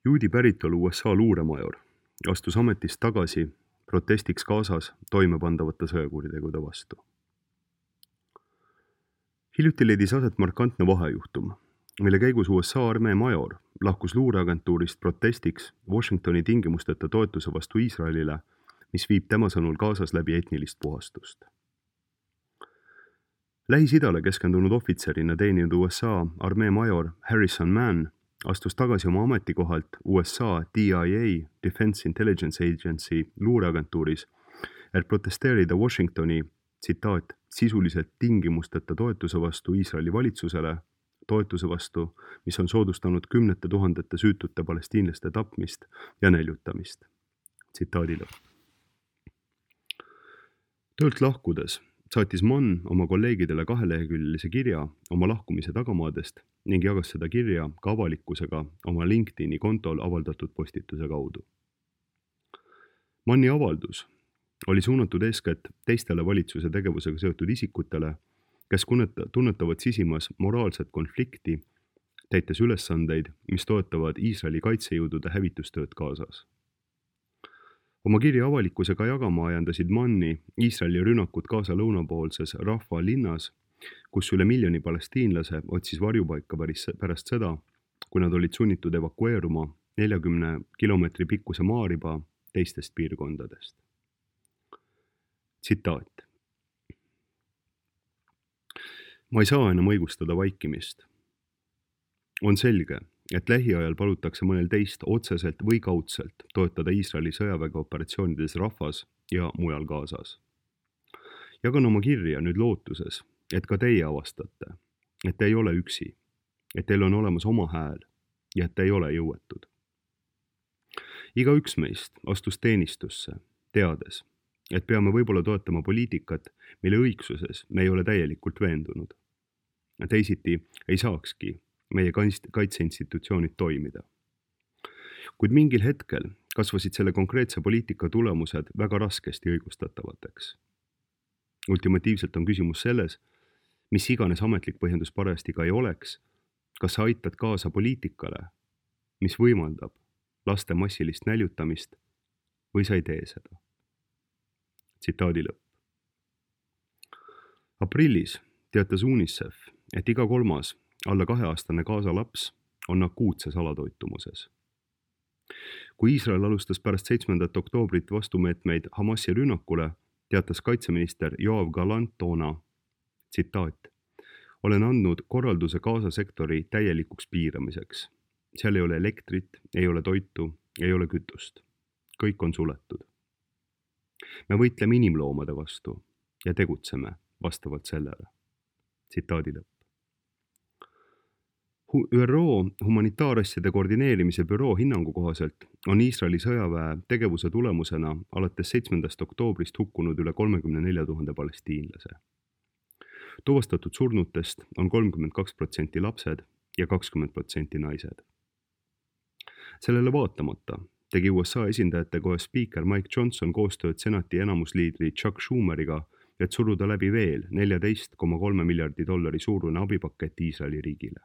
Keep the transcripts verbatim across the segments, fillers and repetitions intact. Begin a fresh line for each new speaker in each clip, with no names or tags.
Juudi päritolu U S A luuremajor astus ametist tagasi protestiks Gazas toimepandavate sõjakuritegude vastu. Hiljuti leidis aset markantne vahejuhtum, mille käigus U S A armee major lahkus luureagentuurist protestiks Washingtoni tingimusteta toetuse vastu Iisraelile, mis viib tema sõnul Gazas läbi etnilist puhastust. Lähis-Idale keskendunud ohvitserina teeninud U S A armee major Harrison Mann astus tagasi oma ametikohalt U S A D I A Defense Intelligence Agency luureagentuuris, et protesteerida Washingtoni, tsitaat, sisuliselt tingimusteta toetuse vastu Iisraeli valitsusele, toetuse vastu, mis on soodustanud kümnete tuhandete süütute palestiinlaste tapmist ja näljutamist. Tsitaadi lõpp. Töölt lahkudes saatis Mann oma kolleegidele kaheleheküljelise kirja oma lahkumise tagamaadest ning jagas seda kirja ka avalikkusega oma LinkedIni kontol avaldatud postituse kaudu. Manni avaldus oli suunatud eeskätt teistele valitsuse tegevusega seotud isikutele, kes tunnetavad sisimas moraalset konflikti, täites ülesandeid, mis toetavad Iisraeli kaitsejõudude hävitustööd Gazas. Oma kirja avalikkusega jagama ajandasid Manni Iisraeli rünnakud Gaza lõunapoolses Rafah linnas, kus üle miljoni palestiinlase otsis varjupaika pärast seda, kui nad olid sunnitud evakueeruma neljakümne kilomeetri pikkuse maariba teistest piirkondadest. Tsitaat. Ma ei saa enam õigustada vaikimist. On selge, et lähiajal palutakse mõnel teist otseselt või kaudselt toetada Iisraeli sõjaväge operatsioonides Rafas ja mujal Gazas. Jagan oma kirja nüüd lootuses, et ka teie avastate, et te ei ole üksi, et teil on olemas oma hääl ja et te ei ole jõuetud. Iga üks meist astus teenistusse, teades, et peame võib-olla toetama poliitikat, mille õigsuses me ei ole täielikult veendunud. Teisiti ei saakski meie kaitseinstitutsioonid toimida. Kuid mingil hetkel kasvasid selle konkreetse poliitika tulemused väga raskesti õigustatavateks. Ultimatiivselt on küsimus selles, mis iganes ametlik põhjendus parajasti ka ei oleks, kas sa aitad kaasa poliitikale, mis võimaldab laste massilist näljutamist või sa ei tee seda. Tsitaadi lõpp. Aprillis teatas UNICEF, et iga kolmas alla kaheaastane Gaza laps on akuutses alatoitumuses. Kui Iisrael alustas pärast seitsmendat oktoobrit vastumeetmeid Hamasi rünnakule, teatas kaitseminister Yoav Gallant toona, tsitaat, olen andnud korralduse Gaza sektori täielikuks piiramiseks. Seal ei ole elektrit, ei ole toitu, ei ole kütust. Kõik on suletud. Me võitleme inimloomade vastu ja tegutseme vastavalt sellele. Tsitaadi lõpp. ÜRO humanitaarasjade koordineerimise büroo hinnangu kohaselt on Iisraeli sõjaväe tegevuse tulemusena alates seitsmendast oktoobrist hukkunud üle kolmekümne nelja tuhande palestiinlase. Tuvastatud surnutest on kolmkümmend kaks protsenti lapsed ja kakskümmend protsenti naised. Sellele vaatamata tegi U S A esindajate kohe spiiker Mike Johnson koostööd senati enamusliidri Chuck Schumeriga, et suruda läbi veel neljateist koma kolme miljardi dollari suurune abipakett Iisraeli riigile.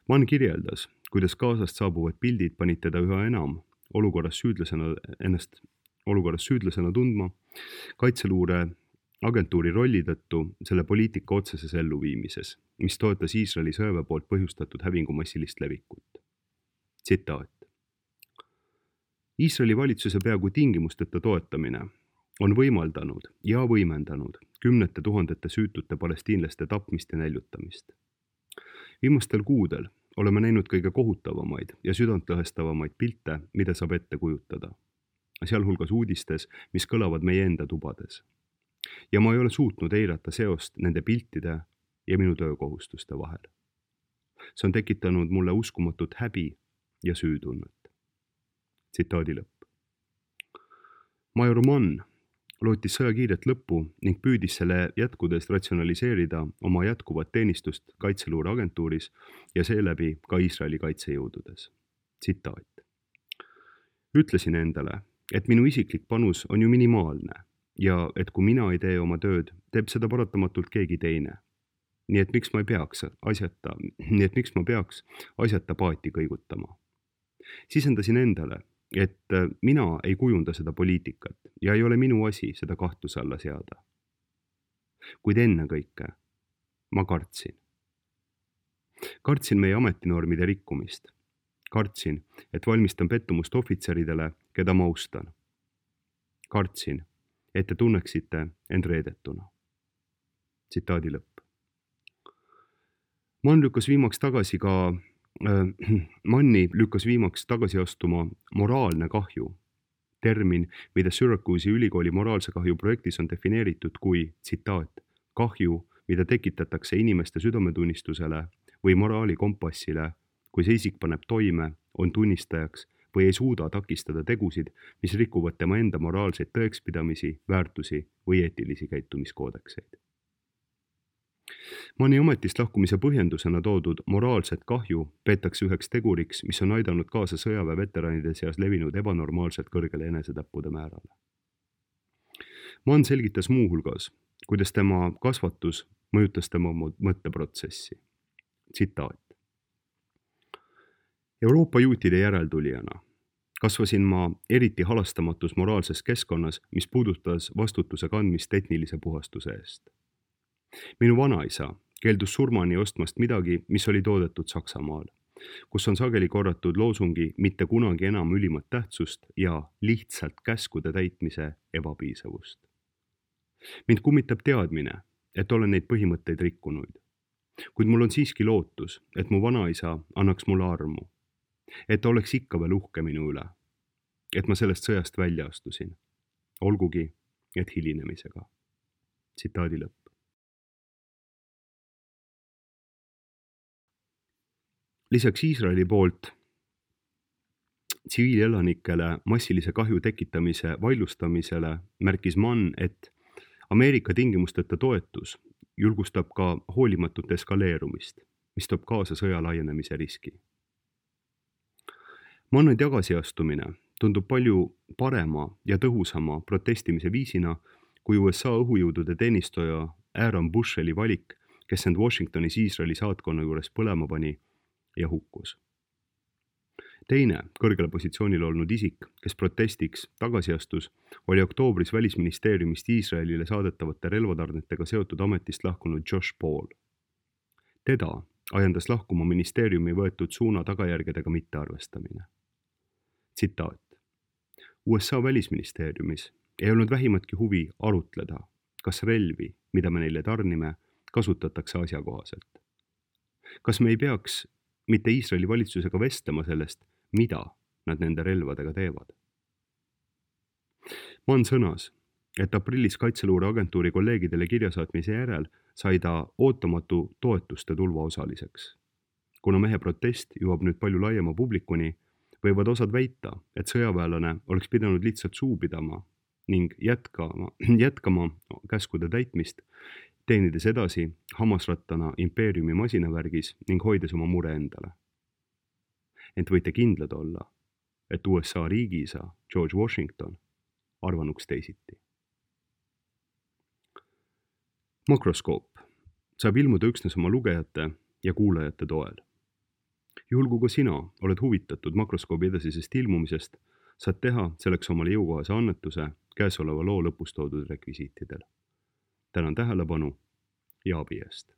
Mann kirjeldas, kuidas Gazast saabuvad pildid panid teda üha enam olukorras süüdlasena, ennast olukorras süüdlasena tundma, kaitseluure agentuuri rolli tõttu selle poliitika otseses elluviimises, mis toetas Iisraeli sõjaväe poolt põhjustatud hävingu massilist levikut. Tsitaat. Iisraeli valitsuse peaaegu tingimusteta toetamine on võimaldanud ja võimendanud kümnete tuhandete süütute palestiinlaste tapmist ja näljutamist. Viimastel kuudel oleme näinud kõige kohutavamaid ja südantlõhestavamaid pilte, mida saab ette kujutada, sealhulgas uudistes, mis kõlavad meie enda tubades. Ja ma ei ole suutnud eirata seost nende piltide ja minu töökohustuste vahel. See on tekitanud mulle uskumatut häbi ja süütunnet. Tsitaadi lõpp. Major Mann lootis sõja kiiret lõppu ning püüdis selle jätkudes ratsionaliseerida oma jätkuvat teenistust kaitseluure agentuuris ja seeläbi ka Iisraeli kaitsejõududes. Tsitaat. Ütlesin endale, et minu isiklik panus on ju minimaalne ja et kui mina ei tee oma tööd, teeb seda paratamatult keegi teine. Nii et miks ma ei peaks asjata, nii et miks ma peaks asjata paati kõigutama. Sisendasin endale, et mina ei kujunda seda poliitikat ja ei ole minu asi seda kahtluse alla seada. Kuid ennekõike ma kartsin. Kartsin meie ametinormide rikkumist. Kartsin, et valmistan pettumust ohvitseridele, keda ma austan. Kartsin, et te tunneksite end reedetuna. Tsitaadi lõpp. Mann lükkas viimaks tagasi ka, äh, Manni lükkas viimaks tagasi astuma moraalne kahju. Termin, mida Syracuse'i ülikooli moraalse kahju projektis on defineeritud kui, tsitaat, kahju, mida tekitatakse inimeste südametunnistusele või moraalikompassile, kui see isik paneb toime, on tunnistajaks või ei suuda takistada tegusid, mis rikuvad tema enda moraalseid tõekspidamisi, väärtusi või eetilisi käitumiskoodekseid. Manni ametist lahkumise põhjendusena toodud moraalset kahju peetakse üheks teguriks, mis on aidanud kaasa sõjaväe veteranide seas levinud ebanormaalselt kõrgele enesetappude määrale. Mann selgitas muu hulgas, kuidas tema kasvatus mõjutas tema mõtteprotsessi. Tsitaat. Euroopa juutide järeltulijana kasvasin ma eriti halastamatus moraalses keskkonnas, mis puudutas vastutuse kandmist etnilise puhastuse eest. Minu vanaisa keeldus surmani ostmast midagi, mis oli toodetud Saksamaal, kus on sageli korratud loosungi mitte kunagi enam ülimat tähtsust ja lihtsalt käskude täitmise ebapiisavust. Mind kummitab teadmine, et olen neid põhimõtteid rikkunud. Kuid mul on siiski lootus, et mu vanaisa annaks mulle armu, et ta oleks ikka veel uhke minu üle, et ma sellest sõjast välja astusin, olgugi, et hilinemisega. Tsitaadi lõpp. Lisaks Iisraeli poolt tsiviilelanikele massilise kahju tekitamise vaidlustamisele märkis Mann, et Ameerika tingimusteta toetus julgustab ka hoolimatut eskaleerumist, mis toob kaasa sõja laienemise riski. Manni tagasiastumine tundub palju parema ja tõhusama protestimise viisina kui U S A õhujõudude teenistoja Aaron Busheli valik, kes end Washingtonis Iisraeli saatkonna juures põlema pani ja hukkus. Teine kõrgele positsioonil olnud isik, kes protestiks tagasiastus, oli oktoobris välisministeeriumist Iisraelile saadetavate relvatarnetega seotud ametist lahkunud Josh Paul. Teda ajendas lahkuma ministeeriumi võetud suuna tagajärgedega mittearvestamine. Tsitaat. U S A välisministeeriumis ei olnud vähimatki huvi arutleda, kas relvi, mida me neile tarnime, kasutatakse asjakohaselt. Kas me ei peaks mitte Iisraeli valitsusega vestlema sellest, mida nad nende relvadega teevad? Mann sõnas, et aprillis Kaitseluure agentuuri kolleegidele kirjasaatmise järel sai ta ootamatu toetuste tulva osaliseks. Kuna mehe protest jõuab nüüd palju laiema publikuni, võivad osad väita, et sõjaväelane oleks pidanud lihtsalt suu pidama ning jätkama, jätkama käskude täitmist, teenides edasi hammasrattana impeeriumi masinavärgis ning hoides oma mure endale. Ent võite kindlad olla, et U S A riigiisa George Washington arvanuks teisiti. Makroskoop saab ilmuda üksnes oma lugejate ja kuulajate toel. Juhul kui ka sina oled huvitatud makroskoobi edasisest ilmumisest, saad teha selleks omale jõukohase annetuse käesoleva loo lõpus toodud rekvisiitidel. Tänan tähelepanu ja abi eest.